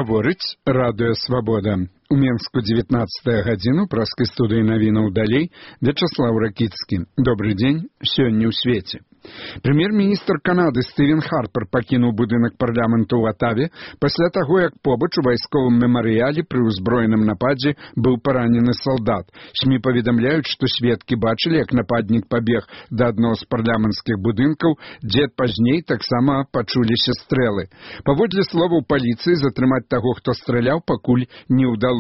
Гаворыць радыё «Свабода». У Менску 19 гадзіну, праскай студыі навінаў далей, Вячаслаў Ракіцкі. Добрый дзень, сёння ў свеце. Прэм'ер-міністр Канады Стывен Харпер пакінуў будынак парламенту ў Атаве пасля таго, як побач у вайсковым мемарыяле пры ўзброеным нападзе быў паранены салдат. СМІ паведамляюць, што сведкі бачылі, як нападнік пабег да аднаго з парламенцкіх будынкаў, дзе пазней таксама пачуліся стрэлы. Паводле словаў паліцыі, затрымаць таго, хто страляў, пакуль не ўдалося.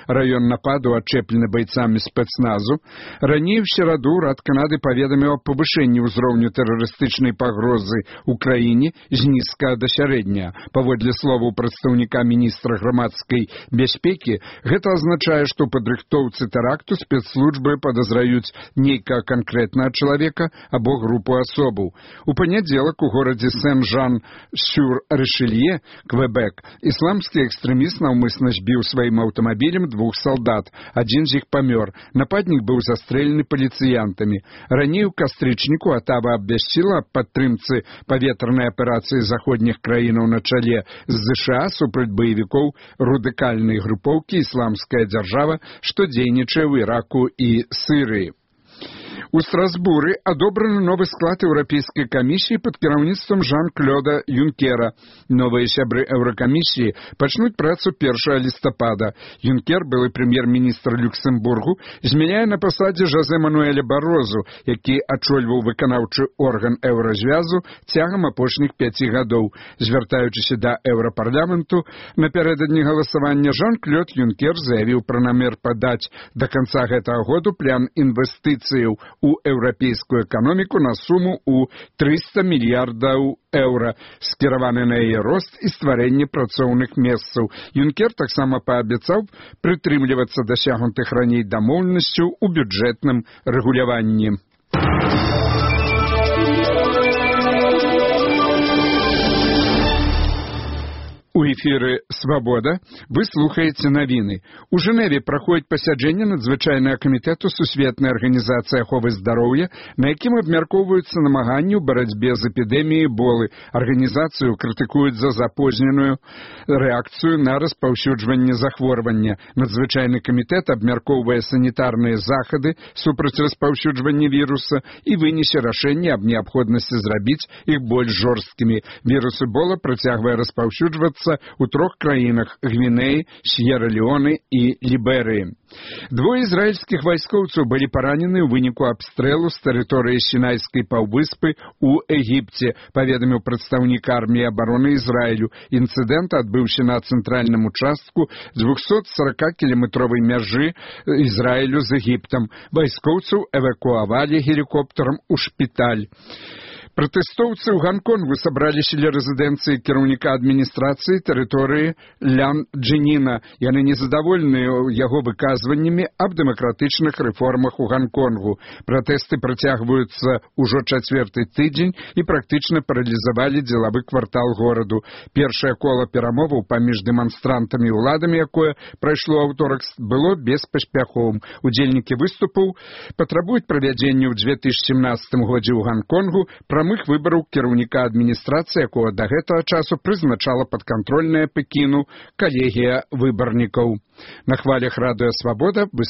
Раён нападу ачэплены байцамі спецназу. Раней у сераду Урад Канады паведаміў аб павышэнні ўзроўню тэрарыстычнай пагрозы ў краіне з нізкага да сярэдняга. Паводле словаў прадстаўніка міністра грамадскай бяспекі, гэта азначае, што ў падрыхтоўцы тэракту спецслужбы падазраюць нейкага канкрэтнага чалавека або групу асобаў. У панядзелак у горадзе Сен-Жан-сюр-Ришелье, Квебек, ісламскі экстрэміст наўмысна збіў сваім аўтамабілем двух салдат. Адзін з іх памёр. Нападнік быў застрэлены паліцыянтамі. Раней у кастрычніку Атава абвясціла аб падтрымцы паветранай аперацыі заходніх краінаў на чале з ЗША супраць баевікоў радыкальнай групоўкі «Ісламская дзяржава», што дзейнічае ў Іраку і Сірыі. У Страсбуры адобраны новы склад Еўрапейскай камісіі пад кіраўніцтвам Жан-Клода Юнкера. Новыя сябры Еўракамісіі пачнуць працу 1 лістапада. Юнкер, былы прэм'ер-міністр Люксембургу, змяняе на пасадзе Жозе Мануэля Барозу, які ачольваў выканаўчы орган Еўразвязу цягам апошніх 5 гадоў. Звяртаючыся да Еўрапарламенту, напярэдадні галасавання Жан-Клод Юнкер заявіў пра намер падаць да канца гэтага году план інвестыцыяў у еўрапейскую эканоміку на суму ў 300 мільярдаў еўра, скіраваны на яе рост і стварэнне працоўных месцаў. Юнкер таксама паабяцаў прытрымлівацца дасягнутых раней дамоўленасцяў у бюджэтным рэгуляванні. У эфіры «Свабода» вы слухаеце навіны. У Жэневе праходзіць пасяджэнне надзвычайнага камітэту Сусветнай арганізацыі аховы здароўя, на якім абмяркоўваюцца намаганні ў барацьбе з эпідэміяй Эболы. Арганізацыю крытыкуюць за запозненую рэакцыю на распаўсюджванне захворвання. Надзвычайны камітэт абмяркоўвае санітарныя захады супраць распаўсюджвання віруса і вынесе рашэнне аб неабходнасці зрабіць іх больш жорсткімі. Вірус Эбола працягвае распаўсюджвацца у 3 краінах – Гвінеі, С'ера-Леоне і Ліберыі. Двое ізраільскіх вайскоўцаў былі паранены ў выніку абстрэлу з тэрыторыі Сінайскай паўвыспы ў Егіпце, паведаміў прадстаўнік арміі абароны Ізраілю. Інцыдэнт адбыўся на цэнтральным участку 240-кіламетровай мяжы Ізраілю з Егіптам. Вайскоўцаў эвакуавалі гелікоптарам у шпіталь. Пратэстоўцы ў Ганконгу сабраліся ля рэзідэнцыі кіраўніка адміністрацыі тэрыторыі Лян Джэніна. Яны незадаволеныя яго выказваннямі аб дэмакратычных рэформах у Ганконгу. Пратэсты працягваюцца ўжо 4-й тыдзень і практычна паралізавалі дзелавы квартал гораду. Першае кола перамоваў паміж дэманстрантамі і ўладамі, якое прайшло аўторак, было беспаспяховым. Удзельнікі выступаў патрабуюць правядзення ў 2017 годзе ў Ганконгу прамых выбараў кіраўніка адміністрацыі, якога да гэтага часу прызначала падкантрольная Пекіну калегія выбарнікаў. На хвалях радыё «Свабода» вы